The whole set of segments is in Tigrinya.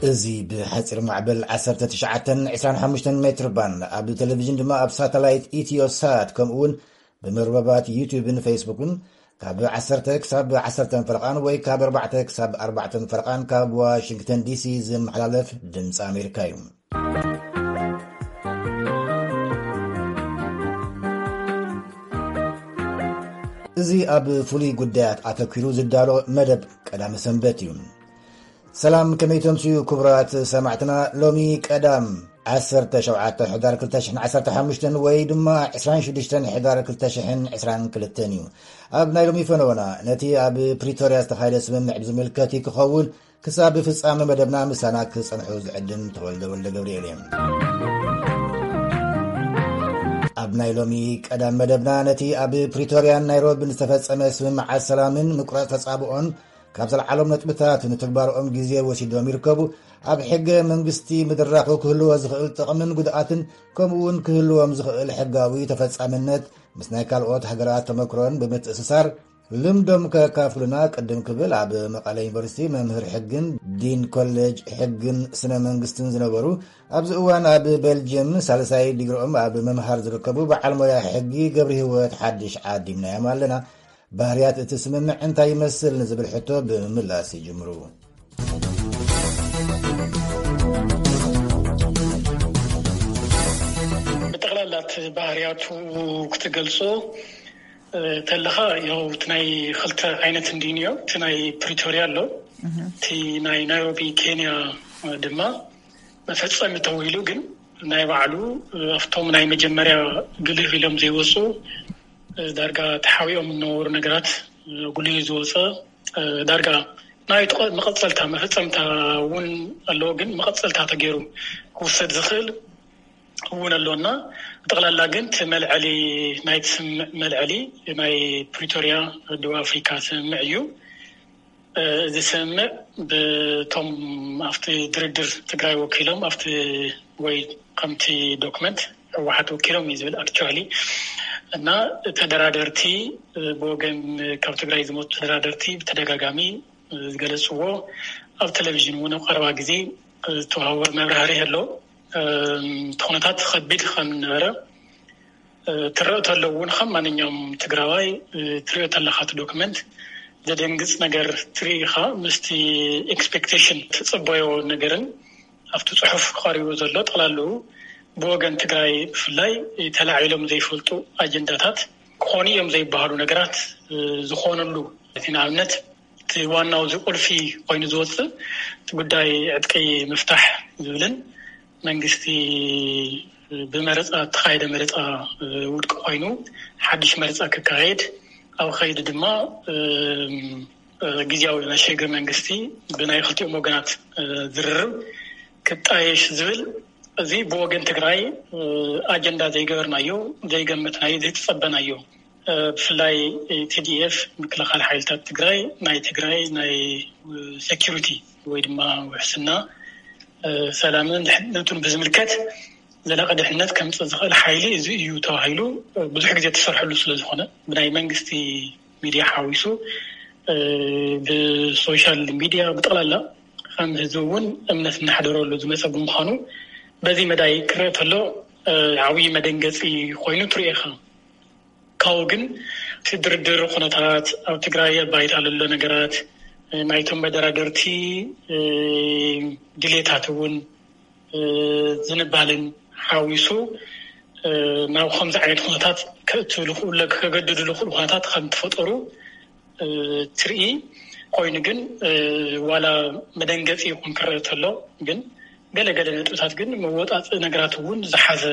እዚ ብሓፂር ማዕበል ዓሰርተ ትሽዓተን ዕስራን ሓሙሽተን ሜትር ባንድ፣ ኣብ ቴሌቪዥን ድማ ኣብ ሳተላይት ኢትዮሳት፣ ከምኡ እውን ብመርበባት ዩቲዩብን ፌስቡክን ካብ ዓሰርተ ክሳብ ዓሰርተ ፈረቓን ወይ ካብ ኣርባዕተ ክሳብ ኣርባዕተ ፈረቓን ካብ ዋሽንግተን ዲሲ ዝመሓላለፍ ድምፂ ኣሜሪካ እዩ። እዚ ኣብ ፍሉይ ጉዳያት ኣተኲሩ ዝዳሎ መደብ ቀዳመ ሰንበት እዩ። ሰላም፣ ከመይ ተምስዩ ክቡራት ሰማዕትና? ሎሚ ቀዳም ዓሰርተ ሸውዓተ ሕዳር ክልተ ሽሕን ዓሰርተ ሓሙሽተን ወይ ድማ ዕስራን ሽዱሽተን ሕዳር ክልተ ሽሕን ዕስራን ክልተን እዩ። ኣብ ናይ ሎሚ ፈነወና ነቲ ኣብ ፕሪቶርያ ዝተኻየደ ስምምዕ ብዝምልከት እዩ ክኸውን። ክሳብ ፍጻመ መደብና ምሳና ክጸንሑ ዝዕድም ተወልደ ወልደ ገብርኤል እየ። ኣብ ናይ ሎሚ ቀዳም መደብና ነቲ ኣብ ፕሪቶርያን ናይሮቢን ዝተፈጸመ ስምምዓት ሰላምን ምቁራጽ ተጻብኦን ካብ ዘልዓሎም ነጥብታት ንትግባርኦም ግዜ ወሲዶም ይርከቡ። ኣብ ሕገ መንግስቲ ምድራኹ ክህልዎ ዝኽእል ጥቕምን ጉድኣትን፣ ከምኡ እውን ክህልዎም ዝኽእል ሕጋዊ ተፈጻምነት ምስ ናይ ካልኦት ሃገራት ተመክሮን ብምትእስሳር ልምዶም ከካፍሉና ቅድም ክብል ኣብ መቐለ ዩኒቨርሲቲ መምህር ሕግን ዲን ኮሌጅ ሕግን ስነ መንግስትን ዝነበሩ፣ ኣብዚ እዋን ኣብ ቤልጅየም ሳልሳይ ዲግሪኦም ኣብ ምምሃር ዝርከቡ በዓል ሞያ ሕጊ ገብረ ህይወት ሓድሽ ዓዲምናዮም ኣለና። ባህርያት እቲ ስምምዕ እንታይ ይመስል ንዝብል ሕቶ ብምምላስ ይጅምሩ። ብጠቕላላ እቲ ባህርያቱ ክትገልጾ፣ እ፣ ተለኻ፣ ያው እቲ ናይ ክልተ ዓይነት እንድዩ ነዮ። እቲ ናይ ፕሪቶርያ ኣሎ፣ እቲ ናይ ናይሮቢ ኬንያ ድማ መፈጸሚ ተባሂሉ፣ ግን ናይ ባዕሉ፣ እ፣ ኣብቶም ናይ መጀመርያ ግልህ ኢሎም ዘይወፁ፣ እ፣ ዳርጋ ተሓቢኦም ዝነበሩ ነገራት፣ እ፣ ጉልህ ዝወፀ፣ እ፣ ዳርጋ ናይ ጥቐ-፣ መቐጸልታ መፈጸምታ እውን ኣለዎ፣ ግን መቐጸልታ ተገይሩ ክውሰድ ዝኽእል እውን ኣለና። ብጠቕላላ ግን እቲ መልዐሊ፣ ናይቲ ስምምዕ መልዐሊ ናይ ፕሪቶርያ፣ ደቡብ ኣፍሪካ ስምምዕ እዩ። እ፣ እዚ ስምምዕ ብቶም ኣብቲ ድርድር ትግራይ ወኪሎም ኣብቲ ወይ ከምቲ ዶክመንት ህወሓት ወኪሎም እዩ ዝብል ኣክቹዋሊ። እና ተደራደርቲ፣ እ፣ ብወገን ካብ ትግራይ ዝመፁ ተደራደርቲ ብተደጋጋሚ ዝገለፅዎ፣ ኣብ ቴሌቪዥን እውን ኣብ ቀረባ ግዜ ዝተዋሃወ መብራህርሂ ኣሎ። እም፣ እቲ ኩነታት ከቢድ ከም ዝነበረ፣ እ፣ ትረእ ተሎ እውን ከም ማንኛውም ትግራዋይ፣ እ፣ ትሪኦ ተለኻ እቲ ዶክመንት ዘደንግፅ ነገር ትርኢ ኢኻ። ምስቲ ኤክስፔክቴሽን ትፅበዮ ነገርን ኣብቲ ፅሑፍ ቀሪቡ ዘሎ ጠቕላልኡ ብወገን ትግራይ ብፍላይ ተላዒሎም ዘይፈልጡ ኣጀንዳታት ክኾኑ እዮም ዘይበሃሉ ነገራት፣ እ፣ ዝኾኑሉ፣ እቲ ንኣብነት እቲ ዋናው እዚ ቁልፊ ኮይኑ ዝወፅእ እቲ ጉዳይ ዕጥቂ ምፍታሕ ዝብልን መንግስቲ ብመረፃ እተኻየደ መረፃ ውድቂ ኮይኑ ሓድሽ መረፃ ክካየድ ኣብ ኸይዲ ድማ ግዝያዊ ናይ ሽግግር መንግስቲ ብናይ ክልቲኦም ወገናት ዝርርብ ክጣየሽ ዝብል እዚ ብወገን ትግራይ ኣጀንዳ ዘይገበርናዮ፣ ዘይገመትናዮ፣ ዘይተፀበናዮ። ብፍላይ ቲ ዲ ኤፍ ምክልኻል ሓይልታት ትግራይ ናይ ትግራይ ናይ ሴኪሪቲ ወይ ድማ ውሕስና ሰላምን ድሕነቱን ብዝምልከት ዘላቂ ድሕነት ከምፅእ ዝኽእል ሓይሊ እዚ እዩ ተባሂሉ ብዙሕ ግዜ ተሰርሐሉ ስለ ዝኾነ ብናይ መንግስቲ ሚድያ ሓዊሱ ብሶሻል ሚድያ ብጠቕላላ ከም ህዝቢ እውን እምነት እናሕደረሉ ዝመፀ ብምዃኑ በዚ መዳይ ክረአ ተሎ ዓብዪ መደንገፂ ኮይኑ ትሪኦ ኢኻ። ካብኡ ግን እቲ ድርድር ኩነታት ኣብ ትግራይ ኣብ ባይታ ዘሎ ነገራት ናይቶም መደራደርቲ ድሌታት እውን ዝንባልን ሓዊሱ ናብ ከምዚ ዓይነት ኩነታት ከእትው ዝኽእሉ ከገድዱ ዝኽእሉ ኩነታት ከም ተፈጠሩ ትርኢ። ኮይኑ ግን ዋላ መደንገፂ ይኹን ክረአ ተሎ ግን ገለገለ ነጥብታት ግን መወፃፅኢ ነገራት እውን ዝሓዘ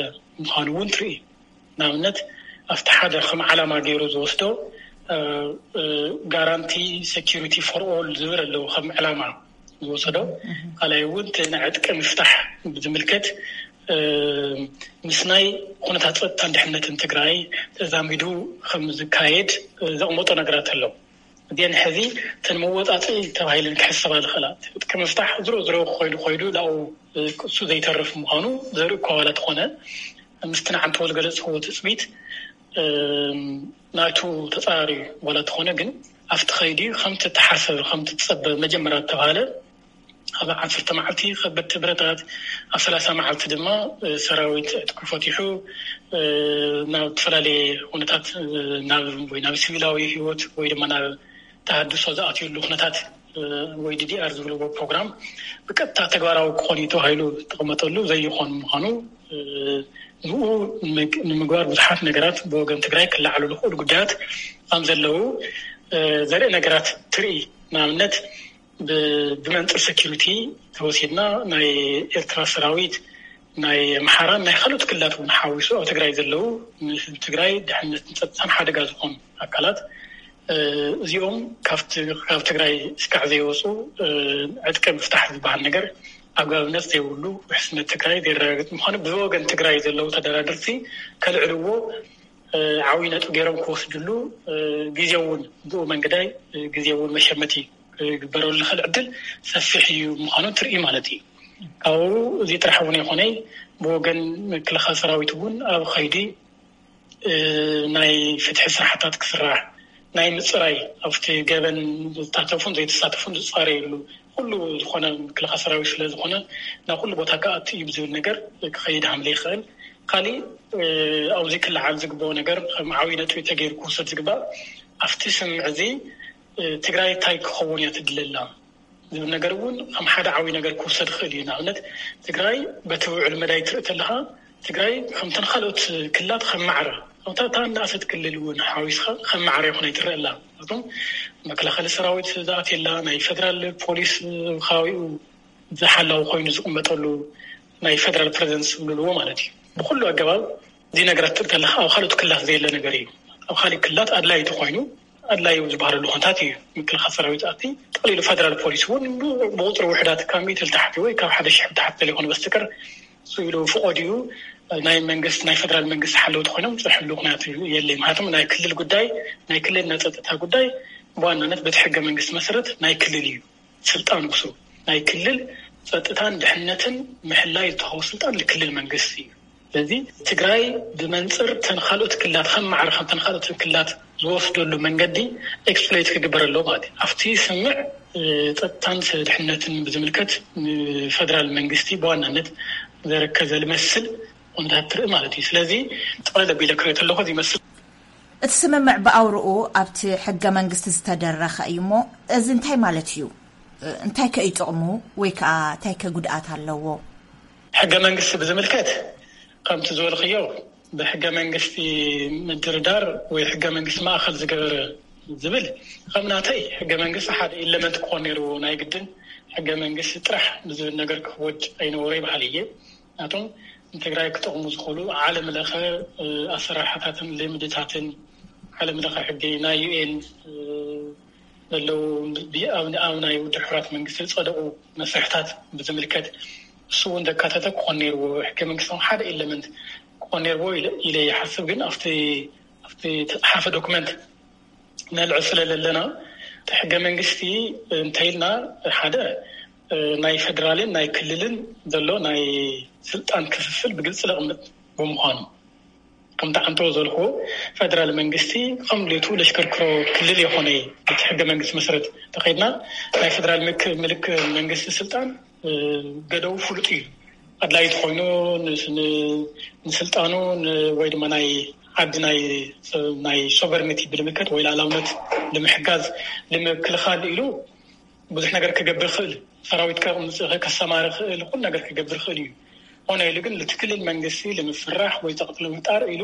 ምዃኑ እውን ትርኢ። ንኣብነት ኣብቲ ሓደ ከም ዓላማ ገይሩ ዝወስዶ ጋራንቲ ሴኪሪቲ ፎር ኦል ዝብል ኣለዎ ከም ዕላማ ዝወሰዶ። ካልኣይ እውን እቲ ናይ ዕጥቂ ምፍታሕ ብዝምልከት ምስ ናይ ኩነታት ፀጥታን ድሕነትን ትግራይ ተዛሚዱ ከም ዝካየድ ዘቕመጦ ነገራት ኣሎ። እዚአን ሕዚ እተን መወፃፅኢ ተባሂለን ክሕሰባ ዝኽእላ ዕጥቂ ምፍታሕ ዝሮ ዝሮ ኮይኑ ኮይኑ ላኡ እሱ ዘይተርፍ ምዃኑ ዘርኢ እኳ ዋላ ተኾነ ምስቲ ንዓንተዎ ዝገለፅዎ ትፅቢት ናቱ ተፃራሪ ዋላ ተኾነ ግን ኣብቲ ኸይዲ ከምቲ ተሓሰበ ከምቲ ትፀበ መጀመርያ ተባሃለ ኣብ ዓሰርተ መዓልቲ ከበድቲ ብረታት፣ ኣብ ሰላሳ መዓልቲ ድማ ሰራዊት ዕጥቁ ፈቲሑ ናብ ዝተፈላለየ ኩነታት ናብ ወይ ናብ ሲቪላዊ ህይወት ወይ ድማ ናብ ተሃድሶ ዝኣትዩሉ ኩነታት ወይ ዲዲኣር ዝብልዎ ፕሮግራም ብቀጥታ ተግባራዊ ክኾን እዩ ተባሂሉ ዝተቐመጠሉ ዘይኾን ምዃኑ ንኡ ንምግባር ብዙሓት ነገራት ብወገን ትግራይ ክለዓሉ ዝኽእሉ ጉዳያት ከም ዘለዉ ዘርኢ ነገራት ትርኢ። ንኣብነት ብመንፅር ሴኪሪቲ ተወሲድና ናይ ኤርትራ ሰራዊት ናይ ኣምሓራን ናይ ካልኦት ክልላት እውን ሓዊሱ ኣብ ትግራይ ዘለዉ ንህዝቢ ትግራይ ድሕነትን ፀጥታን ሓደጋ ዝኾኑ ኣካላት እዚኦም ካብ ትግራይ እስካዕ ዘይወፁ ዕጥቂ ምፍታሕ ዝበሃል ነገር ኣግባብነት ዘይብሉ ውሕስነት ትግራይ ዘረጋግጥ ምዃኑ ብወገን ትግራይ ዘለዉ ተደራደርቲ ከልዕልዎ ዓብይ ነጥቢ ገይሮም ክወስድሉ ግዜ እውን ብኡ መንገዳይ ግዜ እውን መሸመቲ ክግበረሉ ዝኽእል ዕድል ሰፊሕ እዩ ምዃኑ ትርኢ ማለት እዩ። ካብኡ እዚ ጥራሕ እውን ይኾነይ ብወገን ምክልኻል ሰራዊት እውን ኣብ ኸይዲ ናይ ፍትሒ ስራሕታት ክስራሕ ናይ ምፅራይ ኣብቲ ገበን ዝሳተፉን ዘይተሳተፉን ዝፃረየሉ ኩሉ ዝኾነ ምክልኻል ሰራዊት ስለ ዝኾነ ናብ ኩሉ ቦታ ክኣቱ እዩ ብዝብል ነገር ክኸይድ ሃምለ ይኽእል። ካሊእ ኣብዚ ክለዓል ዝግበኦ ነገር ከም ዓብይ ነጥቢ ተገይሩ ክውሰድ ዝግባእ ኣብቲ ስምምዕ እዚ ትግራይ እንታይ ክኸውን እያ ትድለላ ዝብል ነገር እውን ከም ሓደ ዓብይ ነገር ክውሰድ ይኽእል እዩ። ንኣብነት ትግራይ በቲ ውዕል መዳይ ትርኢ ተለኻ ትግራይ ከምተን ካልኦት ክልላት ከም ማዕረ ከምታ እታ እናእሰት ክልል እውን ሓዊስኻ ከም ማዕረ ይኹን ኣይትረአ ኣላ። ምክንያቱም መከላኸሊ ሰራዊት ዝኣትየላ ናይ ፌደራል ፖሊስ ከባቢኡ ዝሓላው ኮይኑ ዝቕመጠሉ ናይ ፌደራል ፕሬዘንስ ዝብልዎ ማለት እዩ። ብኩሉ ኣገባብ እዚ ነገራት ትርኢ ከለካ ኣብ ካልኦት ክልላት ዘየለ ነገር እዩ። ኣብ ካሊእ ክልላት ኣድላይ ተኮይኑ ኣድላይ ዝበሃለሉ ኩነታት እዩ። ምክልኻል ሰራዊት ኣቲ ጠቕሊሉ ፌደራል ፖሊስ እውን ብቁፅሪ ውሕዳት ካብ ሚእቲ ልተሓቲ ወይ ካብ ሓደ ሽሕ ብታሕቲ ዘይኮነ በስተቀር እሱ ኢሉ ፍቆድ እዩ ናይ መንግስት ናይ ፌደራል መንግስት ሓለውቲ ኮይኖም ዝፅርሕሉ ኩነታት የለ። ምክንያቱም ናይ ክልል ጉዳይ ናይ ክልል ናይ ፀጥታ ጉዳይ ብዋናነት በቲ ሕገ መንግስት መሰረት ናይ ክልል እዩ። ስልጣን ውሱ ናይ ክልል ፀጥታን ድሕነትን ምሕላይ ዝተኸው ስልጣን ንክልል መንግስት እዩ። ስለዚ ትግራይ ብመንፅር ተንካልኦት ክልላት ከም ማዕረ ከም ተንካልኦት ክልላት ዝወስደሉ መንገዲ ኤክስፕሎይት ክግበረሎ ማለት እዩ። ኣብቲ ስምዕ ፀጥታን ድሕነትን ብዝምልከት ንፌደራል መንግስቲ ብዋናነት ዘረከዘ ዝመስል ኩነታት ትርኢ ማለት እዩ። ስለዚ ጠቕለል ኣቢለ ክሪኦ ተለኹ ዝመስል እቲ ስምምዕ ብኣውርኡ ኣብቲ ሕገ መንግስቲ ዝተደረኸ እዩ እሞ እዚ እንታይ ማለት እዩ? እንታይ ከ እዩ ጥቕሙ ወይ ከዓ እንታይ ከ ጉድኣት ኣለዎ? ሕገ መንግስቲ ብዝምልከት ከምቲ ዝበልክዮ ብሕገ መንግስቲ ምድርዳር ወይ ሕገ መንግስቲ ማእኸል ዝገበረ ዝብል ከም ናተይ ሕገ መንግስቲ ሓደ ኢለመንት ክኾን ነይርዎ ናይ ግድን ሕገ መንግስቲ ጥራሕ ብዝብል ነገር ክወድ ኣይነበሮ ይበሃል እየ። ናቶም ንትግራይ ክጠቕሙ ዝኽእሉ ዓለም ለኸ ኣሰራርሓታትን ልምድታትን ዓለም ለኸ ሕጊ ናይ ዩኤን ዘለዉ ኣብ ናይ ውድብ ሕራት መንግስቲ ዝፀደቑ መስርሕታት ብዝምልከት እሱ እውን ዘካተተ ክኾን ነይርዎ። ሕገ መንግስቶም ሓደ ኤለመንት ክኾን ነይርዎ ኢለ ይሓስብ። ግን ኣብቲ ኣብቲ ተፅሓፈ ዶክመንት ነልዕል ስለ ዘለና እቲ ሕገ መንግስቲ እንተይልና ሓደ ናይ ፌደራልን ናይ ክልልን ዘሎ ናይ ስልጣን ክፍፍል ብግልፂ ዘቕምጥ ብምዃኑ ከምቲ ዓንተዎ ዘልክዎ ፌደራል መንግስቲ ከም ድሌቱ ለሽከርክሮ ክልል የኾነ። እቲ ሕገ መንግስቲ መሰረት ተኸይድና ናይ ፌደራል ምልክ መንግስቲ ስልጣን ገደቡ ፍሉጥ እዩ። ኣድላይ ተኮይኑ ንስልጣኑ ወይ ድማ ናይ ዓዲ ናይ ሶቨርኒቲ ብልምልከት ወይ ላላውነት ንምሕጋዝ ንምክልኻል ኢሉ ብዙሕ ነገር ክገብር ይኽእል። ሰራዊት ከምፅእ ከሰማሪ ይኽእል፣ ኩሉ ነገር ክገብር ይኽእል እዩ። ሆነ ኢሉ ግን እቲ ክልል መንግስቲ ንምፍራሕ ወይ ፀቕጢ ንምፍጣር ኢሉ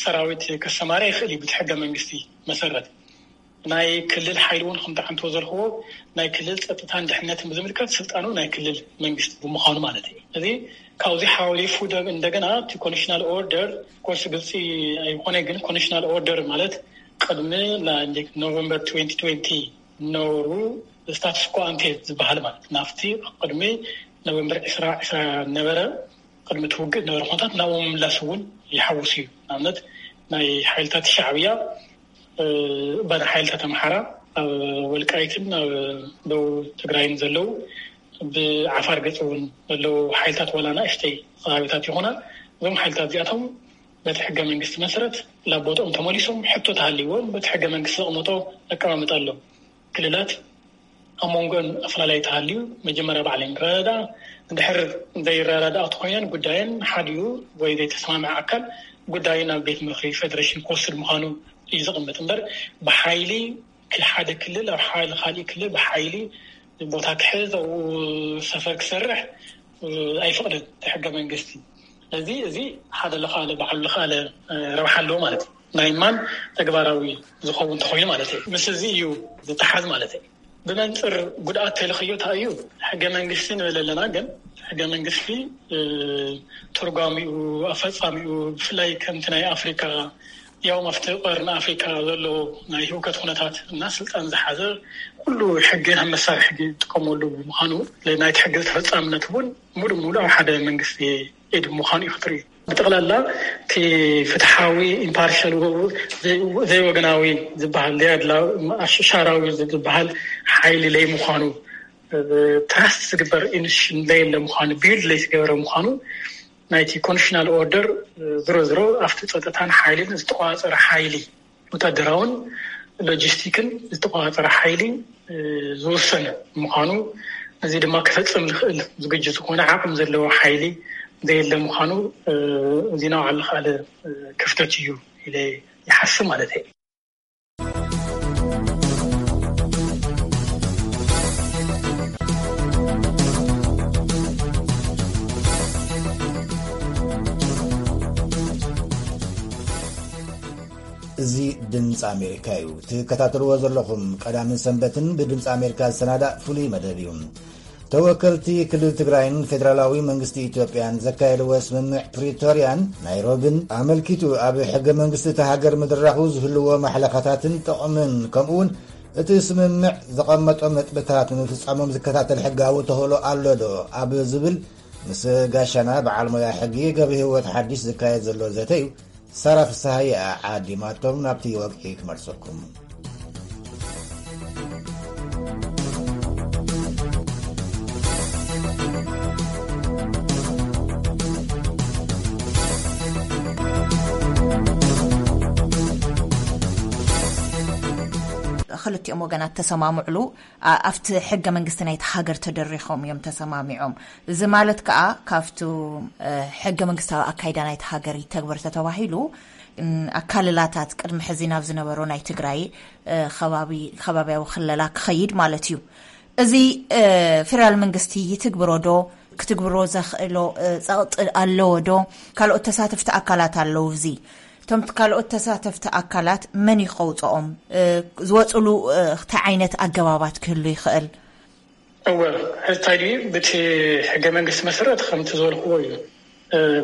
ሰራዊት ከሰማሪ ይኽእል እዩ። ብቲ ሕገ መንግስቲ መሰረት ናይ ክልል ሓይሊ እውን ከምቲ ዓንቶ ዘልክዎ ናይ ክልል ፀጥታን ድሕነትን ብዝምልከት ስልጣኑ ናይ ክልል መንግስቲ ብምዃኑ ማለት እዩ። እዚ ካብዚ ሓሊፉ እንደገና እቲ ኮንዲሽናል ኦርደር ኮርስ ግልፂ ኣይኮነ፣ ግን ኮንዲሽናል ኦርደር ማለት ቅድሚ ኖቨምበር ትወንቲ ትወንቲ ነሩ ስታትስ ኮ ኣንቴ ዝበሃል ማለት ናብቲ ቅድሚ ኖቨምበር ዕስራ ዕስራ ነበረ ቅድሚ ትውግእ ነበረ ኩነታት ናብኡ ምምላስ እውን ይሓውስ እዩ። ንኣብነት ናይ ሓይልታት ሻዕብያ ባና ሓይልታት ኣምሓራ ኣብ ወልቃይትን ኣብ ደቡብ ትግራይን ዘለዉ ብዓፋር ገፅ እውን ዘለዉ ሓይልታት ዋላ ንእሽተይ ከባቢታት ይኾና እዞም ሓይልታት እዚኣቶም በቲ ሕገ መንግስቲ መሰረት ናብ ቦትኦም ተመሊሶም ሕቶ ተሃልይዎም በቲ ሕገ መንግስቲ ዘቕመጦ ኣቀማምጣ ኣሎ። ክልላት ኣብ መንጎን ኣፈላላይ ተሃልዩ መጀመርያ ባዕለን ይረዳዳ። እንድሕር ዘይረዳዳኣ ተኮይነን ጉዳየን ሓዲኡ ወይ ዘይተሰማምዐ ኣካል ጉዳዩ ናብ ቤት ምኽሪ ፌደሬሽን ክወስድ ምዃኑ እዩ ዝቕምጥ እምበር ብሓይሊ ሓደ ክልል ኣብ ሓደ ካሊእ ክልል ብሓይሊ ቦታ ክሕዝ ኣብኡ ሰፈር ክሰርሕ ኣይፈቕድን እቲ ሕገ መንግስቲ። ስለዚ እዚ ሓደ ለኻለ ባዕሉ ለኻለ ረብሓ ኣለዎ ማለት እዩ። ናይ ማን ተግባራዊ ዝኸውን እንተኾይኑ ማለት እዩ። ምስ እዚ እዩ ዝተሓዝ ማለት እዩ። ብመንፅር ጉድኣት ተልኽዮ እንታይ እዩ? ሕገ መንግስቲ ንብል ኣለና፣ ግን ሕገ መንግስቲ ትርጓሚኡ፣ ኣፈፃሚኡ ብፍላይ ከምቲ ናይ ኣፍሪካ ያው ኣብቲ ቀርኒ ኣፍሪካ ዘሎ ናይ ህውከት ኩነታት እና ስልጣን ዝሓዘ ኩሉ ሕጊ ከም መሳርሒ ሕጊ ዝጥቀመሉ ብምዃኑ ናይቲ ሕጊ ተፈፃምነት እውን ሙሉ ሙሉ ኣብ ሓደ መንግስቲ ኢድ ምዃኑ እዩ ክትርኢ። ብጠቕላላ እቲ ፍትሓዊ ኢምፓርሻል ዘይወገናዊ ዝበሃል ዘይኣድላዊ ኣሻራዊ ዝበሃል ሓይሊ ለይምዃኑ ትራስት ዝግበር ኢንስቲቱሽን ለየለ ምዃኑ ቢልድ ለይተገበረ ምዃኑ ናይቲ ኮንስቲቱሽናል ኦርደር ዝሮ ዝሮ ኣብቲ ፀጥታን ሓይልን ዝተቋፀረ ሓይሊ ወታደራውን ሎጂስቲክን ዝተቋፀረ ሓይሊ ዝወሰነ ምዃኑ እዚ ድማ ክፈፅም ዝኽእል ዝግጅ ዝኾነ ዓቕም ዘለዎ ሓይሊ ዘየለ ምዃኑ እዚ ናብ ዓለ ክፍተት እዩ ኢለ ይሓስብ ማለት እዩ። እዚ ድምፂ ኣሜሪካ እዩ ትከታተልዎ ዘለኹም። ቀዳምን ሰንበትን ብድምፂ ኣሜሪካ ዝሰናዳእ ፍሉይ መደብ እዩ። ተወከልቲ ክልል ትግራይን ፌደራላዊ መንግስቲ ኢትዮጵያን ዘካየድዎ ስምምዕ ፕሪቶርያን ናይሮብን ኣመልኪቱ ኣብ ሕገ መንግስቲ እቲ ሃገር ምድራኹ ዝህልዎ ማሕለኻታትን ጥቕምን ከምኡውን እቲ ስምምዕ ዘቐመጦ መጥብታት ንምፍፃሞም ዝከታተል ሕጋዊ ተኽእሎ ኣሎ ዶ ኣብ ዝብል ምስ ጋሻና በዓል ሞያ ሕጊ ገብረ ህይወት ሓዲሽ ዝካየድ ዘሎ ዘተ እዩ። ሳራ ፍስሃየ ዓዲማቶም ናብቲ ወግዒ ክመልሰኩም። ክልቲኦም ወገናት ተሰማምዕሉ ኣብቲ ሕገ መንግስቲ ናይቲ ሃገር ተደሪኾም እዮም ተሰማሚዖም። እዚ ማለት ከዓ ካብቲ ሕገ መንግስታዊ ኣካይዳ ናይቲ ሃገር ይተግበር ተተባሂሉ ኣካልላታት ቅድሚ ሕዚ ናብ ዝነበሮ ናይ ትግራይ ከባብያዊ ክለላ ክኸይድ ማለት እዩ። እዚ ፌደራል መንግስቲ ይትግብሮ ዶ? ክትግብሮ ዘኽእሎ ፀቕጢ ኣለዎ ዶ? ካልኦት ተሳተፍቲ ኣካላት ኣለዉ። እዚ እቶም ካልኦት ተሳተፍቲ ኣካላት መን እዩ ከውፅኦም? ዝወፅሉ እንታይ ዓይነት ኣገባባት ክህሉ ይኽእል? እወ፣ ሕዚ እንታይ ድዩ ብቲ ሕገ መንግስቲ መሰረት ከምቲ ዝበልክዎ እዩ።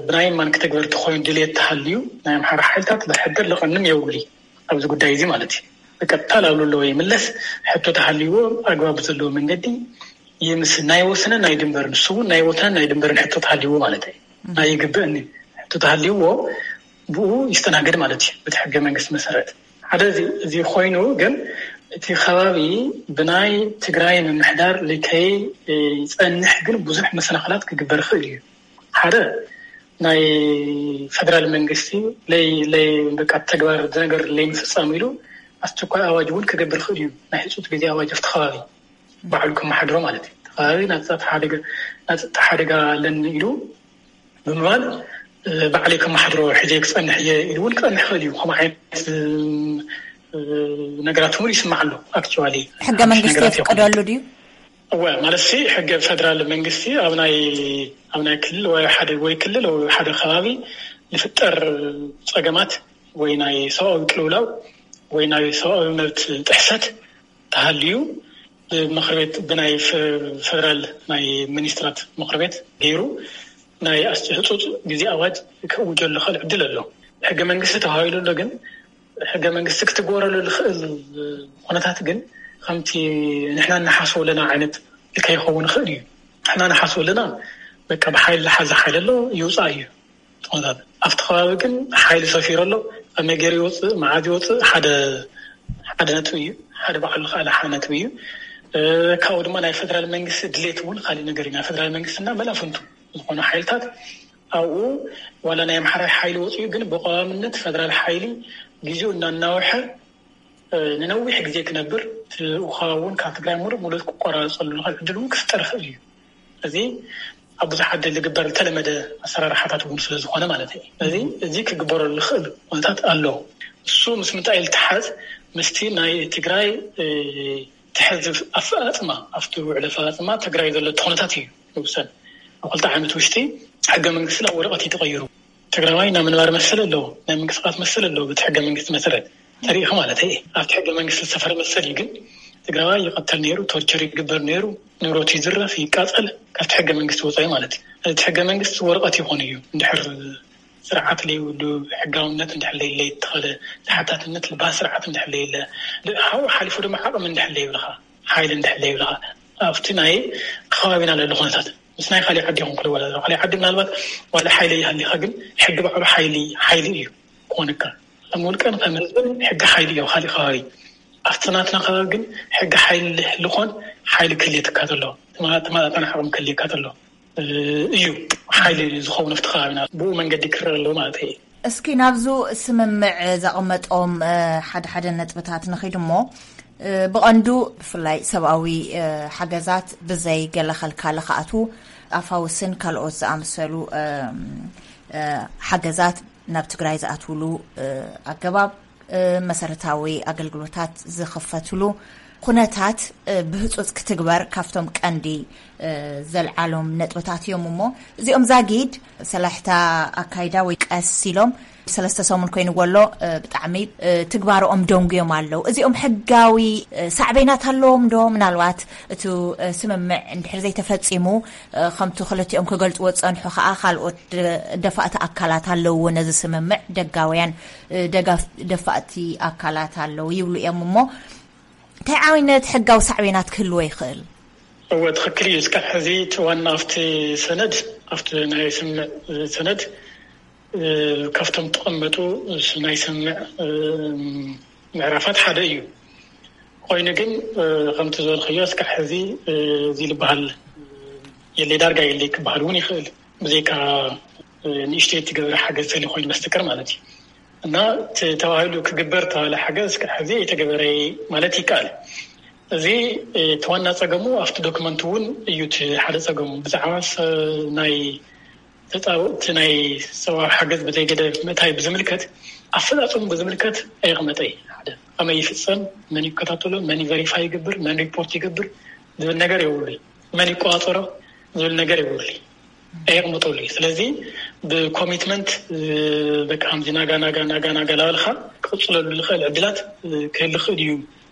ብናይ ማን ክትግበር ተኮይኑ ድልየት ተሃልዩ ናይ ኣምሓራ ሓይልታት ዝሕደር ልቐንም የውሊ ኣብዚ ጉዳይ እዚ ማለት እዩ። ብቀጥታ ላብሉ ኣለዎ ይምለስ። ሕቶ ተሃልይዎ ኣግባብ ዘለዎ መንገዲ ይምስ ናይ ወሰነ ናይ ድንበር ንሱ እውን ናይ ወሰነ ናይ ድንበርን ሕቶ ተሃልይዎ ማለት እዩ። ናይ ይግብእኒ ሕቶ ተሃልይዎ ብኡ ይስተናገድ ማለት እዩ። በቲ ሕገ መንግስቲ መሰረት ሓደ እዚ ኮይኑ ግን እቲ ከባቢ ብናይ ትግራይ ምምሕዳር ልከይ ይፀንሕ ግን ብዙሕ መሰናክላት ክግበር ይኽእል እዩ። ሓደ ናይ ፈደራል መንግስቲ ለይ ለይ በቃ ተግባር ነገር ለይ ምፍፃም ኢሉ ኣስቸኳይ ኣዋጅ እውን ክገብር ይኽእል እዩ። ናይ ህፁፅ ግዜ ኣዋጅ ኣብቲ ከባቢ ባዕሉ ከመሓድሮ ማለት እዩ። እቲ ከባቢ ናይ ፀጥታ ሓደጋ ኣለኒ ኢሉ ብምባል ባዕለይ ከመሓድሮ ሕዜ ክፀንሕ እየ ኢሉ እውን ክፀንሕ ይኽእል እዩ። ከምኡ ዓይነት ነገራት እውን ይስማዕ ኣሎ። ኣክቹዋሊ ሕገ መንግስቲ የፍቀደሉ ድዩ? እወ ማለት ሲ ሕገ ፈደራል መንግስቲ ኣብ ናይ ኣብ ናይ ክልል ወይ ሓደ ወይ ክልል ወይ ሓደ ከባቢ ዝፍጠር ፀገማት ወይ ናይ ሰብኣዊ ቅልውላው ወይ ናይ ሰብኣዊ መብት ጥሕሰት ተሃልዩ ብምክሪ ቤት ብናይ ፈደራል ናይ ሚኒስትራት ምክሪ ቤት ገይሩ ናይ ህፁፅ ግዜ ኣዋጅ ከእውጀሉ ክእል ዕድል ኣሎ። ሕገ መንግስቲ ተባሂሉ ኣሎ ግን ሕገ መንግስቲ ክትግበረሉ ዝኽእል ኩነታት ግን ከምቲ ንሕና ንሓስቦ ኣለና ዓይነት ከይኸውን ይኽእል እዩ። ንሕና ንሓስቦ ኣለና በቃ ብሓይሊ ዝሓዘ ሓይሊ ኣሎ ይውፃእ እዩ። ኣብቲ ከባቢ ግን ሓይሊ ሰፊሩ ኣሎ። ከመይ ገይሩ ይወፅእ መዓዝ ይወፅእ ሓደ ሓደ ነጥቢ እዩ። ሓደ ባዕሉ ዝኸኣለ ሓደ ነጥቢ እዩ። ካብኡ ድማ ናይ ፈደራል መንግስቲ ድሌት እውን ካሊእ ነገር እዩ። ናይ ፈደራል መንግስትና መላፍንቱ ዝኾኑ ሓይልታት ኣብኡ ዋላ ናይ ኣምሓራይ ሓይሊ ወፂኡ ግን ብቀዋምነት ፈደራል ሓይሊ ግዜኡ እናናውሐ ንነዊሕ ግዜ ክነብር፣ እቲ ውሃ እውን ካብ ትግራይ ሙሉእ ሙሉእ ክቆራረፀሉ ዝኽእል ዕድል እውን ክፍጠር ይኽእል እዩ። እዚ ኣብ ብዙሓት ደሊ ዝግበር ዝተለመደ ኣሰራርሓታት እውን ስለ ዝኾነ ማለት እዩ። እዚ እዚ ክግበረሉ ዝኽእል ኩነታት ኣሎ። እሱ ምስ ምንታይ ዝተሓዝ? ምስቲ ናይ ትግራይ ትሕዚ ኣፈፃፅማ፣ ኣብቲ ውዕል ኣፈፃፅማ ትግራይ ዘሎ ኩነታት እዩ ዝውሰን። ኣብ ክልተ ዓመት ውሽጢ ሕገ መንግስቲ ናብ ወረቐት እዩ ተቐይሩ። ትግራዋይ ናይ ምንባር መሰል ኣለዎ፣ ናይ ምንቅስቃስ መሰል ኣለዎ። በቲ ሕገ መንግስቲ መሰረት ተሪኢኻ ማለት እዩ። ኣብቲ ሕገ መንግስቲ ዝሰፈረ መሰል እዩ። ግን ትግራዋይ ይቐተል ነይሩ፣ ቶርቸር ይግበር ነይሩ፣ ንብረቱ ይዝረፍ፣ ይቃፀል፣ ካብቲ ሕገ መንግስቲ ወፃኢ ማለት እዩ። እቲ ሕገ መንግስቲ ወረቐት ይኾን እዩ። እንድሕር ስርዓት ለይብሉ፣ ሕጋውነት እንድሕር ለይለ፣ ተኸለ ተሓታትነት ልባህ ስርዓት እንድሕር ለይለ፣ ሓው ሓሊፉ ድማ ዓቕሚ እንድሕር ለይብልኻ፣ ሓይሊ እንድሕር ለይብልኻ፣ ኣብቲ ናይ ከባቢና ለሎ ኩነታት ምስ ናይ ካሊእ ዓዲ ይኹን ክልወላ፣ ካሊእ ዓዲ ምናልባት ዋላ ሓይሊ ይሃሊኻ፣ ግን ሕጊ ባዕሉ ሓይሊ ሓይሊ እዩ ክኾንካ። ከም ውልቀን ከም ህዝብን ሕጊ ሓይሊ እዩ። ካሊእ ከባቢ ኣብቲ ናትና ከባቢ ግን ሕጊ ሓይሊ ልኾን ሓይሊ ክልየትካ ተሎ፣ ተማጣጣን ዓቕሚ ክልየካ ተሎ እዩ ሓይሊ ዝኸውን ኣብቲ ከባቢና። ብኡ መንገዲ ክረአ ኣለዎ ማለት እዩ። እስኪ ናብዙ ስምምዕ ዘቐመጦም ሓደ ሓደ ነጥብታት ንኺድ እሞ፣ ብቐንዱ ብፍላይ ሰብኣዊ ሓገዛት ብዘይ ገለ ኸልካለ ክኣትዉ፣ ኣፋውስን ካልኦት ዝኣመሰሉ ሓገዛት ናብ ትግራይ ዝኣትውሉ ኣገባብ፣ መሰረታዊ ኣገልግሎታት ዝኽፈትሉ ኩነታት ብህፁፅ ክትግበር ካብቶም ቀንዲ ዘልዓሎም ነጥብታት እዮም። እሞ እዚኦም ዛጊድ ሰላሕታ ኣካይዳ ወይ ቀስ ኢሎም ሰለስተ ሰሙን ኮይኑ ወሎ ብጣዕሚ ትግባርኦም ደንጉዮም ኣለዉ። እዚኦም ሕጋዊ ሳዕቤናት ኣለዎም ዶ? ምናልባት እቲ ስምምዕ እንድሕር ዘይተፈፂሙ፣ ከምቲ ክልቲኦም ክገልፅዎ ዝፀንሑ ከዓ ካልኦት ደፋእቲ ኣካላት ኣለዉ። ነዚ ስምምዕ ደጋውያን ደፋእቲ ኣካላት ኣለዉ ይብሉ እዮም። እሞ እንታይ ዓይነት ሕጋዊ ሳዕቤናት ክህልዎ ይኽእል? እወ፣ ትኽክል እዩ። እስካብ ሕዚ እቲ ዋና ኣብቲ ሰነድ፣ ኣብቲ ናይ ስምምዕ ሰነድ ካብቶም ተቐመጡ ናይ ስምምዕ ምዕራፋት ሓደ እዩ። ኮይኑ ግን ከምቲ ዝበልክዮ እስካብ ሕዚ እዚ ዝበሃል የለይ፣ ዳርጋ የለይ ክበሃል እውን ይኽእል፣ ብዘይካ ንእሽተይ እትገብረ ሓገዝ ተሊ ኮይኑ በስተቀር ማለት እዩ። እና ተባሂሉ ክግበር ተባለ ሓገዝ እስካብ ሕዚ የተገበረ ማለት ይከኣል። እዚ እቲ ዋና ጸገሙ ኣብቲ ዶክመንት እውን እዩ። እቲ ሓደ ጸገሙ ብዛዕባ ናይ ተጻብእቲ ናይ ሰብኣዊ ሓገዝ ብዘይገደብ ምእታይ ብዝምልከት፣ ኣፈጻጽሙ ብዝምልከት ኣይቕመጠይ። ሓደ ከመይ ይፍጸም፣ መን ይከታተሎ፣ መን ቨሪፋይ ይገብር፣ መን ሪፖርት ይገብር ዝብል ነገር የብሉ። መን ይቆጻጸሮ ዝብል ነገር የብሉ። ኣየቕምጠሉ እዩ። ስለዚ ብኮሚትመንት በቃ ከምዚ ናጋ ናጋ ናጋ ናጋ ላበልካ ክቕፅለሉ ዝኽእል ዕድላት ክህል ይኽእል እዩ።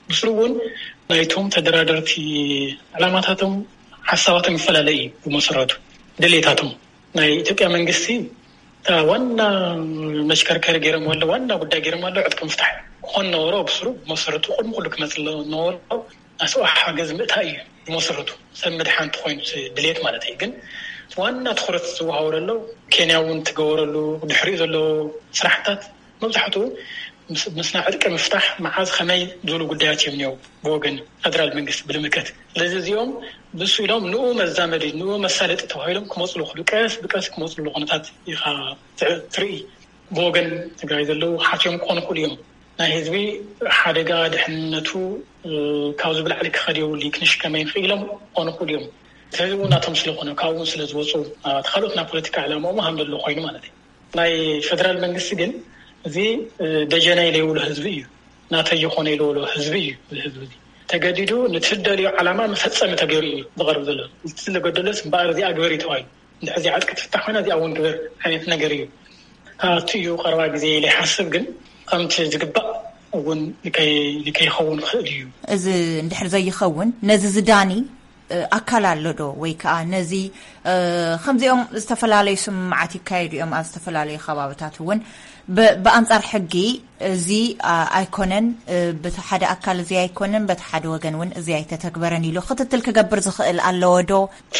ብስሩ እውን ናይቶም ተደራደርቲ ዕላማታቶም ሓሳባቶም ይፈላለ እዩ። ብመሰረቱ ድሌታቶም ናይ ኢትዮጵያ መንግስቲ እታ ዋና መሽከርከሪ ገይሮም ኣሎ፣ ዋና ጉዳይ ገይሮም ኣሎ ዕጥቂ ምፍታሕ ክኾን ነበሮ። ብስሩ ብመሰረቱ ቅድሚ ኩሉ ክመፅእ ነበሮ ኣስዋሕ ሓገዝ ምእታይ እዩ ብመሰረቱ። ሰብ ምድሓን ተኾይኑ ድሌት ማለት እዩ። ግን ዋና ትኹረት ዝወሃቦ ዘሎ ኬንያ እውን ትገበረሉ ድሕሪኡ ዘሎ ስራሕታት መብዛሕትኡ ምስና ዕጥቂ ምፍታሕ መዓዝ ከመይ ዝብሉ ጉዳያት እዮም እኒው ብወገን ፈደራል መንግስቲ ብልምከት። ስለዚ እዚኦም ብሱ ኢሎም ንኡ መዛመዲ ንኡ መሳለጢ ተባሂሎም ክመፅሉ ክሉ ቀስ ብቀስ ክመፅሉ ኩነታት ኢኻ ትርኢ። ብወገን ትግራይ ዘለዉ ሓትዮም ክኾኑ ክእሉ እዮም። ናይ ህዝቢ ሓደጋ ድሕንነቱ ካብዚ ብላዕሊ ክኸድ የብሉ ክንሽከመ ንኽኢሎም ክኾኑ ክእሉ እዮም። እቲ ህዝቢ እውን ናቶም ስለኾነ ካብኡ እውን ስለ ዝወፁ እቲ ካልኦት ናይ ፖለቲካ ዕላማኦም ሃም ዘለዎ ኮይኑ ማለት እዩ። ናይ ፈደራል መንግስቲ ግን እዚ ደጀናይ ለይብሎ ህዝቢ እዩ። ናተይ ይኾነ ኢልበሎ ህዝቢ እዩ። እዚ ህዝቢ እዚ ተገዲዱ ንትደልዮ ዓላማ መፈፀሚ ተገይሩ እዩ ዝቐርብ ዘሎ። እቲ ዝለገደሎስ እምበኣር እዚኣ ግበር እዩ ተባሂሉ። እንድሕር እዚኣ ዕጥቂ ትፍታሕ ኮይና እዚኣ እውን ግበር ዓይነት ነገር እዩ። ካብቲ እዩ ቀረባ ግዜ ኢለ ይሓስብ፣ ግን ከምቲ ዝግባእ እውን ልከይ- ልከይኸውን ክእል እዩ። እዚ እንድሕር ዘይኸውን ነዚ ዝዳኒ ኣካል ኣሎ ዶ? ወይ ከዓ ነዚ ከምዚኦም ዝተፈላለዩ ስምምዓት ይካየዱ እዮም ኣብ ዝተፈላለዩ ከባብታት እውን ብኣንፃር ሕጊ እዚ ኣይኮነን፣ በቲ ሓደ ኣካል እዚ ኣይኮነን፣ በቲ ሓደ ወገን እውን እዚ ኣይተተግበረን ኢሉ ክትትል ክገብር ዝኽእል ኣለዎ ዶ? እቲ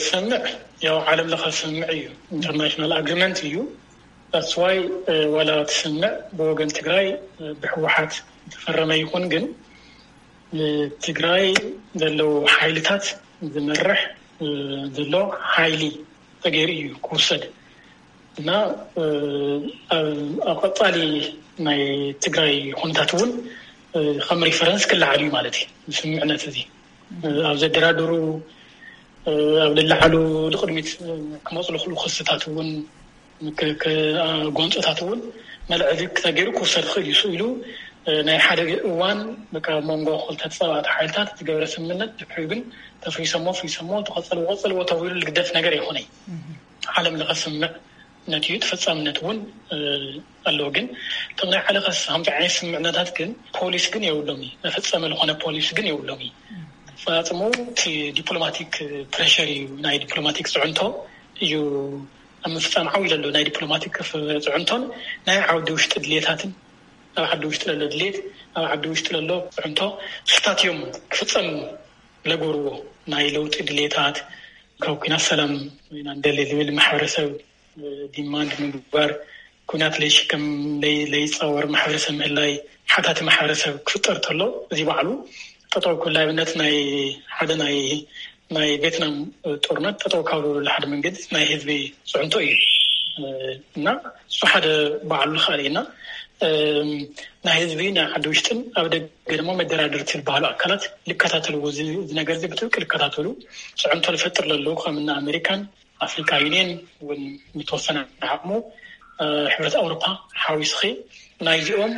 ስምምዕ ያው ዓለም ለኸ ስምምዕ እዩ፣ ኢንተርናሽናል ኣግሪመንት እዩ። that's why ዋላ እቲ ስምምዕ ብወገን ትግራይ ብህወሓት ዝተፈረመ ይኹን ግን ንትግራይ ዘለዉ ሓይልታት ዝመርሕ ዘሎ ሓይሊ ተገይሩ እዩ ክውሰድ እና ኣብ ቀፃሊ ናይ ትግራይ ኩነታት እውን ከም ሪፈረንስ ክለዓል እዩ ማለት እዩ። ስምምዕነት እዚ ኣብ ዘደራድሩ ኣብ ልለዓሉ ንቅድሚት ክመፁ ዝኽእሉ ክስታት እውን ጎንፅታት እውን መልዕሊ ተገይሩ ክውሰድ ክእል እዩ። ስኢሉ ናይ ሓደ እዋን በቃ መንጎ ክልተ ተፃባእቲ ሓይልታት ዝገበረ ስምምነት ድሕሪኡ ግን ተፍሪሰሞ ፍሪሰሞ ተቐፀልዎ ቀፀልዎ ተባሂሉ ዝግደፍ ነገር ኣይኮነይ። ዓለም ለኸ ስምምዕ ነቲ ተፈፃምነት እውን ኣለዎ። ግን እቶም ናይ ዓለኸስ ከምዚ ዓይነት ስምምዕነታት ግን ፖሊስ ግን የብሎም እዩ። መፈፀሚ ዝኾነ ፖሊስ ግን የብሎም እዩ። ፈፃፅሙ እቲ ዲፕሎማቲክ ፕሬሸር እዩ። ናይ ዲፕሎማቲክ ፅዕንቶ እዩ ኣብ ምፍፃም ዓው ኢለሎ። ናይ ዲፕሎማቲክ ጽዕንቶን ናይ ዓውዲ ውሽጢ ድሌታትን ኣብ ዓዲ ውሽጢ ለሎ ድሌት ኣብ ዓዲ ውሽጢ ለሎ ፅዕንቶ ስታት እዮም ክፍፀም ለገብርዎ ናይ ለውጢ ድሌታት ካብ ኩናት ሰላም ኢና ንደሊ ዝብል ማሕበረሰብ ዲማንድ ምግባር፣ ኩናት ለይሽከም ለይፃወር ማሕበረሰብ ምህላይ፣ ሓታቲ ማሕበረሰብ ክፍጠር ተሎ እዚ ባዕሉ ጠጠው ክብል ኣብነት ናይ ሓደ ናይ ናይ ቬትናም ጦርነት ጠጠው ካብ ዝብሉ ሓደ መንገዲ ናይ ህዝቢ ፅዕንቶ እዩ። እና እሱ ሓደ ባዕሉ ዝኽኣል እዩ። እና ናይ ህዝቢ ናይ ዓዲ ውሽጥን ኣብ ደገ ድማ መደራደርቲ ዝበሃሉ ኣካላት ልከታተልዎ እዚ ነገር እዚ ብጥብቂ ልከታተሉ። ፅዕንቶ ዝፈጥር ዘለዉ ከም እነ ኣሜሪካን ኣፍሪካ ዩኒየን እውን ምተወሰነ ዓቕሙ ሕብረት ኣውሮፓ ሓዊስኺ ናይዚኦም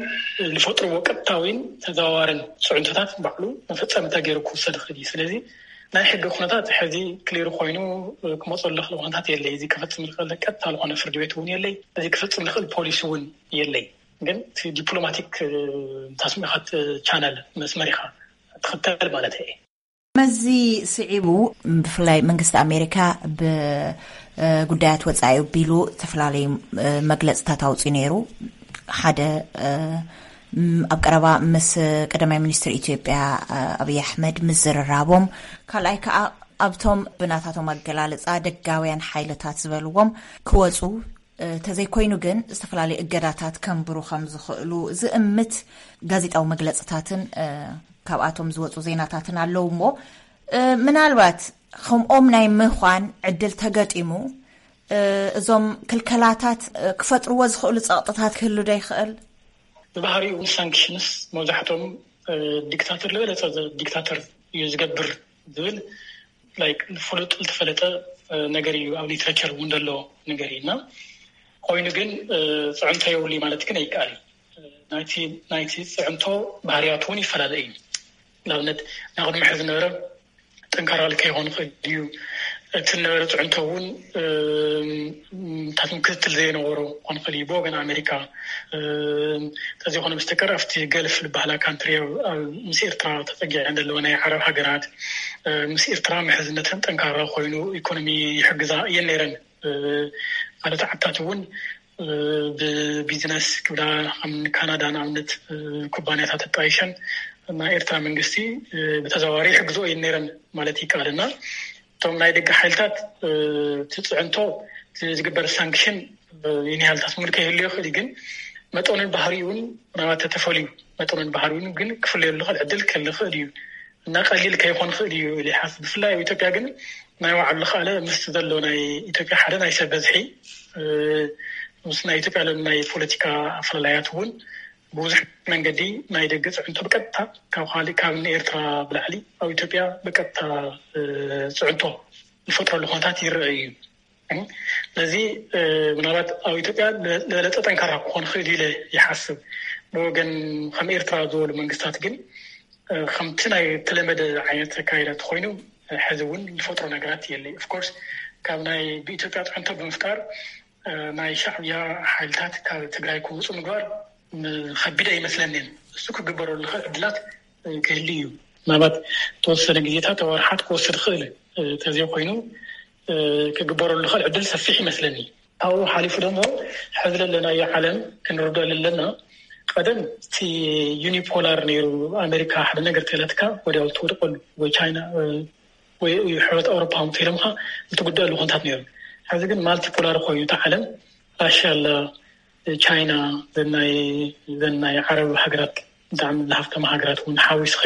ዝፈጥርዎ ቀጥታዊን ተዘዋዋርን ፅዕንቶታት ባዕሉ መፈፀሚ ተገይሩ ክውሰድ ይኽእል እዩ። ስለዚ ናይ ሕጊ ኩነታት ሕዚ ክሊር ኮይኑ ክመፀሉ ዝኽእል ኩነታት የለይ። እዚ ክፈፅም ዝኽእል ቀጥታ ዝኾነ ፍርዲ ቤት እውን የለይ። እዚ ክፈፅም ዝኽእል ፖሊሲ እውን የለይ። ግን እቲ ዲፕሎማቲክ ታስሚኻት ቻነል መስመር ኢኻ ትኽተል ማለት እየ። መዚ ስዒቡ ብፍላይ መንግስቲ ኣሜሪካ ብጉዳያት ወፃኢ ቢሉ ዝተፈላለዩ መግለፅታት ኣውፅኡ ነይሩ። ሓደ ኣብ ቀረባ ምስ ቀዳማይ ሚኒስትር ኢትዮጵያ ኣብይ ኣሕመድ ምዝርራቦም፣ ካልኣይ ከዓ ኣብቶም ብናታቶም ኣገላልፃ ደጋውያን ሓይልታት ዝበልዎም ክወፁ ተዘይኮይኑ ግን ዝተፈላለዩ እገዳታት ከንብሩ ከም ዝኽእሉ ዝእምት ጋዜጣዊ መግለፅታትን ካብኣቶም ዝወፁ ዜናታትን ኣለዉ እሞ ምናልባት ከምኦም ናይ ምዃን ዕድል ተገጢሙ እዞም ክልከላታት ክፈጥርዎ ዝኽእሉ ፀቕጥታት ክህሉ ዶ ይኽእል? ብባህሪኡ ሳንክሽንስ መብዛሕቶም ዲክታተር ዝበለፀ ዲክታተር እዩ ዝገብር ዝብል ፍሉጥ ዝተፈለጠ ነገር እዩ። ኣብ ሊትሬቸር እውን ዘሎ ነገር እዩ እና ኮይኑ ግን ፅዕንቶ የብሉ ማለት ግን ኣይከኣል። ናይቲ ፅዕንቶ ባህርያት እውን ይፈላለ እዩ። ንኣብነት ናይ ቅድሚ ሕዚ ዝነበረ ጠንካራ ከይኾን ይኽእል እዩ። እቲ ዝነበረ ፅዕንቶ እውን ታትም ክትትል ዘይነበሮ ክኾን ይኽእል እዩ ብወገን ኣሜሪካ። ተዘይኮነ በስተቀር ኣብቲ ገልፍ ዝበሃላ ካንትሪ ምስ ኤርትራ ተፀጊዐን ዘለዋ ናይ ዓረብ ሃገራት ምስ ኤርትራ ምሕዝነተን ጠንካራ ኮይኑ ኢኮኖሚ ይሕግዛ እየን ነይረን። ካልኦት ዓድታት እውን ብቢዝነስ ክብላ ከም ካናዳ ንኣብነት ኩባንያታት ኣጣይሸን ናይ ኤርትራ መንግስቲ ብተዘዋዋሪ ይሕግዝኦ እየን ነይረን ማለት ይከኣል እና እቶም ናይ ደገ ሓይልታት እቲ ፅዕንቶ ዝግበር ሳንክሽን ይንያልታት ሙሉ ከይህሉ ይኽእል እዩ። ግን መጠኑን ባህሪኡን ምናልባት ተተፈልዩ መጠኑን ባህሪኡን ግን ክፍለየሉ ዝኽእል ዕድል ክህሉ ይኽእል እዩ እና ቀሊል ከይኾን ይኽእል እዩ ኢለ ይሓስብ። ብፍላይ ኣብ ኢትዮጵያ ግን ናይ ባዕሉ ዝኸኣለ ምስ ዘሎ ናይ ኢትዮጵያ ሓደ ናይ ሰብ በዝሒ ምስ ናይ ኢትዮጵያ ለ ናይ ፖለቲካ ኣፈላላያት እውን ብብዙሕ መንገዲ ናይ ደገ ፅዕንቶ ብቀጥታ ካብ ካልእ ካብ ንኤርትራ ብላዕሊ ኣብ ኢትዮጵያ ብቀጥታ ፅዕንቶ ዝፈጥረሉ ኩነታት ይረአ እዩ። ስለዚ ምናልባት ኣብ ኢትዮጵያ ዝበለፀ ጠንካራ ክኾን ይኽእል ኢለ ይሓስብ። ብወገን ከም ኤርትራ ዝበሉ መንግስታት ግን ከምቲ ናይ ተለመደ ዓይነት ኣካይዳ ተኮይኑ ሕዚ እውን ዝፈጥሮ ነገራት የለይ። ኦፍኮርስ ካብ ናይ ብኢትዮጵያ ፅዕንቶ ብምፍጣር ናይ ሻዕብያ ሓይልታት ካብ ትግራይ ክውፁ ምግባር ከቢድ ኣይመስለንን። እሱ ክግበረሉ ዝኽእል ዕድላት ክህሉ እዩ። ምናልባት ተወሰነ ግዜታት ወርሓት ክወስድ ይኽእል ተዘይኮይኑ ክግበረሉ ዝኽእል ዕድል ሰፊሕ ይመስለኒ። ካብኡ ሓሊፉ ደሞ ሕዚ ዘለናዮ ዓለም ክንርዶ ኣለና። ቀደም እቲ ዩኒፖላር ነይሩ። ኣሜሪካ ሓደ ነገር ተለትካ ወዲያው ትወድቀሉ ወይ ቻይና ወይ ሕብረት ኣውሮፓ ተይሎምካ እትጉደአሉ ኩነታት ነይሩ። ሕዚ ግን ማልቲፖላር ኮይኑ እቲ ዓለም ራሽያ ኣላ፣ ቻይና ዘናይ ዘናይ ዓረብ ሃገራት ብጣዕሚ ዝሃብተማ ሃገራት እውን ሓዊስኺ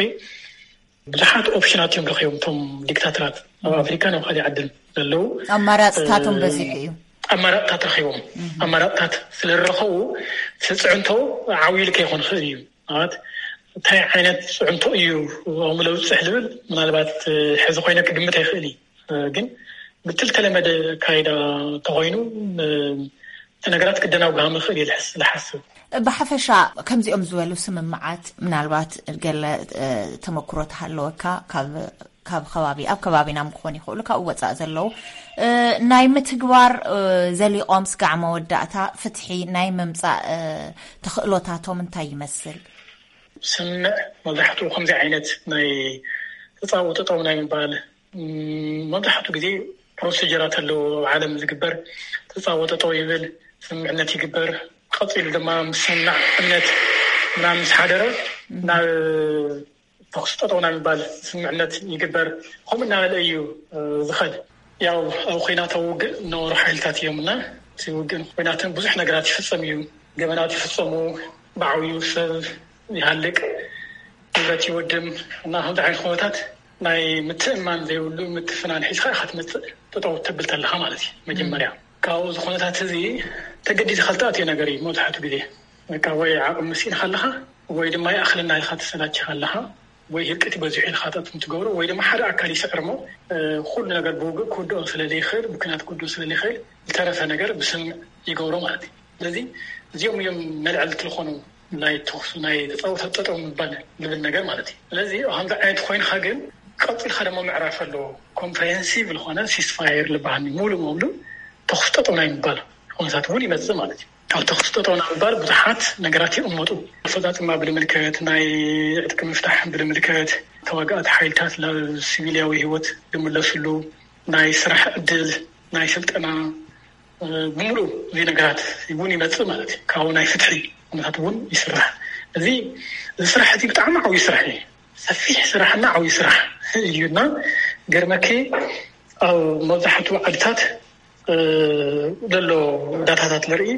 ብዙሓት ኦፕሽናት እዮም ረኪቦም እቶም ዲክታተራት። ኣብ ኣፍሪካ ናብ ካልእ ዓድን ዘለዉ ኣማራፅታቶም በዚሑ እዩ። ኣማራፅታት ረኪቦም ኣማራፅታት ስለዝረኸቡ እቲ ፅዕንቶ ዓብዩ ኢሉ ከይኮን ይኽእል እዩ። ማለት እንታይ ዓይነት ፅዕንቶ እዩ ኣብኡ ለውፅሕ ዝብል ምናልባት ሕዚ ኮይነ ክግምት ኣይኽእል እዩ። ግን ብትልተለመደ ካይዳ ተኾይኑ እቲ ነገራት ክደናጉሃ ምኽእል እዩ ዝሓስብ። ብሓፈሻ ከምዚኦም ዝበሉ ስምምዓት ምናልባት ገለ ተመክሮ ተሃለወካ ካብ ከባቢ ኣብ ከባቢና ክኾኑ ይኽእሉ ካብኡ ወፃእ ዘለዉ ናይ ምትግባር ዘሊቖም ስጋዕ መወዳእታ ፍትሒ ናይ ምምፃእ ተኽእሎታቶም እንታይ ይመስል? ስምምዕ መብዛሕትኡ ከምዚ ዓይነት ናይ ተፃወጠጠው ናይ ምባል መብዛሕትኡ ግዜ ፕሮሲጀራት ኣለዎ። ኣብ ዓለም ዝግበር ተፃወጠጠው ይብል፣ ስምምዕነት ይግበር። ቀፂሉ ድማ ምስምምዕነት ምናምን ምስ ሓደረ ናብ ተኽሲ ጠጠው ናይ ምባል ስምምዕነት ይግበር። ከምኡ እናበለ እዩ ዝኸድ። ያው ኣብ ኹናት ኣብ ውግእ ዝነበሩ ሓይልታት እዮም እና እቲ ውግእ ኹናትን ብዙሕ ነገራት ይፍፀም እዩ። ገበናት ይፍፀሙ፣ ብዓብዩ ሰብ ይሃልቅ፣ ንብረት ይወድም እና ከምዚ ዓይነት ኩነታት ናይ ምትእማን ዘይብሉ ምትፍናን ሒዝካ ኢካ ትመፅእ። ጠጠው ተብል ተለካ ማለት እዩ። መጀመርያ ካብኡ እዚ ኩነታት እዚ ተገዲድካ ልትኣትዮ ነገር እዩ። መብዛሕትኡ ግዜ በቃ ወይ ዓቕሚ ስኢንካ ኣለካ ወይ ድማ ይኣክለና ኢልካ ተሰላችካ ኣለካ ወይ ህልቂት በዚሑ ኢልካ ጠጥም ትገብሮ ወይ ድማ ሓደ ኣካል ይስዕር እሞ ኩሉ ነገር ብውግእ ክውድኦ ስለዘይክእል ብኩናት ክውድኦ ስለዘይክእል ዝተረፈ ነገር ብስምምዕ ይገብሮ ማለት እዩ። ስለዚ እዚኦም እዮም መልዐልቲ ዝኾኑ ናይ ተኹሱ ናይ ተፃወተ ጠጠው ምባል ዝብል ነገር ማለት እዩ። ስለዚ ከምዚ ዓይነት ኮይንካ ግን ቀፂልካ ደሞ ምዕራፍ ኣለዎ። ኮምፕሬሄንሲቭ ዝኾነ ሲስፋየር ዝበሃል ሙሉ ሙሉ ተኹስ ጠጠው ናይ ምባል ኩነታት እውን ይመፅእ ማለት እዩ። ካብ ተኹስ ጠጠው ናይ ምባል ብዙሓት ነገራት ይቕመጡ። ኣፈፃፅማ ብልምልከት ናይ ዕጥቂ ምፍታሕ ብልምልከት ተዋጋእቲ ሓይልታት ናብ ሲቪልያዊ ህይወት ዝምለስሉ ናይ ስራሕ ዕድል ናይ ስልጠና ብምሉእ እዚ ነገራት እውን ይመፅእ ማለት እዩ። ካብኡ ናይ ፍትሒ ኩነታት እውን ይስራሕ። እዚ እዚ ስራሕ እቲ ብጣዕሚ ዓብዩ ስራሕ እዩ። ሰፊሕ ስራሕና ዓብዩ ስራሕ እዩ እና ገርመኪ ኣብ መብዛሕትኡ ዓድታት ዘሎ ዳታታት ንርኢ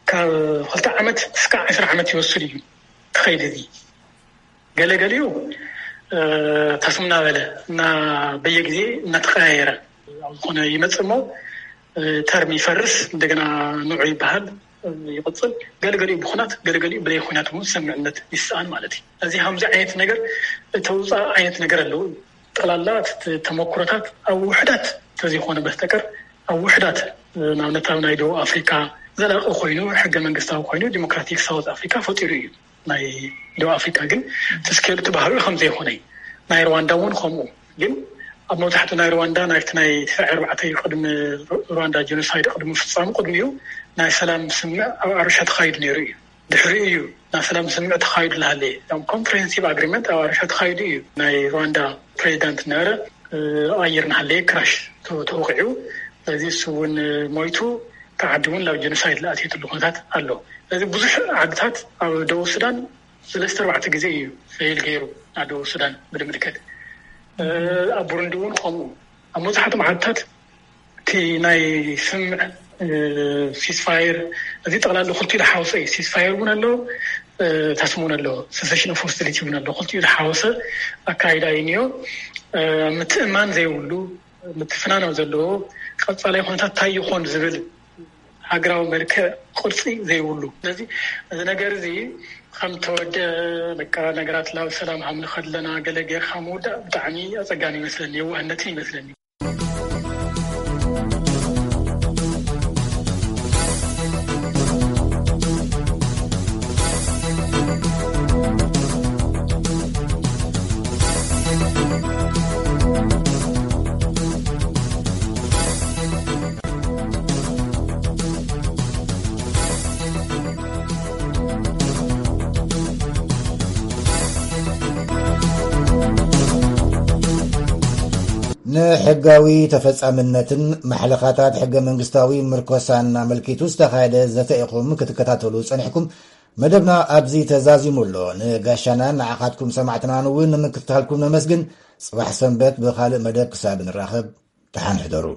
ካብ ክልተ ዓመት እስካ ዕስራ ዓመት ይወስድ እዩ ክኸይድ እዚ ገለገሊኡ ተስም እናበለ እና በየግዜ እናተቀያየረ ኣብ ዝኾነ ይመፅእ እሞ ተርም ይፈርስ እንደገና ንዑ ይበሃል ይቕፅል። ገለገሊኡ ብኩናት ገለገሊኡ ብለይ ኩናት እውን ስምምዕነት ይስኣን ማለት እዩ። እዚ ከምዚ ዓይነት ነገር ተውፃእ ዓይነት ነገር ኣለዉ። ጠላላ ተመክሮታት ኣብ ውሕዳት ተዘይኮነ በስተቀር ኣብ ውሕዳት ንኣብነት ኣብ ናይ ደቡብ ኣፍሪካ ዘላቂ ኮይኑ ሕገ መንግስታዊ ኮይኑ ዲሞክራቲክ ሳውት ኣፍሪካ ፈጢሩ እዩ። ናይ ደቡብ ኣፍሪካ ግን እቲ ስኬሉ እቲ ባህሪኡ ከም ዘይኮነ እዩ። ናይ ሩዋንዳ እውን ከምኡ ግን ኣብ መብዛሕትኡ ናይ ሩዋንዳ ናይቲ ናይ ትስዓ ኣርባዕተ እዩ ቅድሚ ሩዋንዳ ጀኖሳይድ ቅድሚ ፍፃሙ ቅድሚኡ ናይ ሰላም ስምምዕ ኣብ ኣሩሻ ተኻይዱ ነይሩ እዩ። ድሕሪኡ እዩ ናብ ሰላም ስምምዕ ተኻይዱ ዝሃለየ እም ኮምፕሬሄንሲቭ ኣግሪመንት ኣብ ኣሩሻ ተኻይዱ እዩ። ናይ ሩዋንዳ ፕሬዚዳንት ነበረ ኣየር ናሃለየ ክራሽ ተወቂዑ ስለዚ እሱ እውን ሞይቱ ተዓዲ እውን ናብ ጀኖሳይድ ዝኣትየትሉ ኩነታት ኣሎ። ስለዚ ብዙሕ ዓድታት ኣብ ደቡብ ሱዳን ሰለስተ ኣርባዕተ ግዜ እዩ ፌል ገይሩ ናብ ደቡብ ሱዳን ብልምልከት ኣብ ቡሩንዲ እውን ከምኡ ኣብ መብዛሕትኦም ዓድታት እቲ ናይ ስምምዕ ሲስፋየር እዚ ጠቕላላ ክልቲኡ ዝሓወሰ እዩ። ሲስፋየር እውን ኣሎ ታስም እውን ኣሎ ሰሴሽን ኦፍ ሆስቲሊቲ እውን ኣሎ ክልቲኡ ዝሓወሰ ኣካይዳ እዩ እኒኦ። ምትእማን ዘይብሉ ምትፍናን ኣብ ዘለዎ ቀፃላይ ኩነታት እንታይ ይኾን ዝብል ሃገራዊ መልክዕ ቅርፂ ዘይብሉ ስለዚ እዚ ነገር እዚ ከም ተወደ በቃ ነገራት ናብ ሰላም ሃምልኸ ኣለና ገለ ጌርካ ምውዳእ ብጣዕሚ ኣፀጋሚ ይመስለኒ የዋህነትን ይመስለኒ። ንሕጋዊ ተፈጻምነትን ማሕለኻታት ሕገ መንግስታዊ ምርኮሳን ኣመልኪቱ ዝተኻየደ ዘተ ኢኹም ክትከታተሉ ጸኒሕኩም። መደብና ኣብዚ ተዛዚሙ ኣሎ። ንጋሻናን ንዓኻትኩም ሰማዕትናን እውን ንምክትታልኩም ነመስግን። ጽባሕ ሰንበት ብኻልእ መደብ ክሳብ ንራኸብ ደሓን ሕደሩ።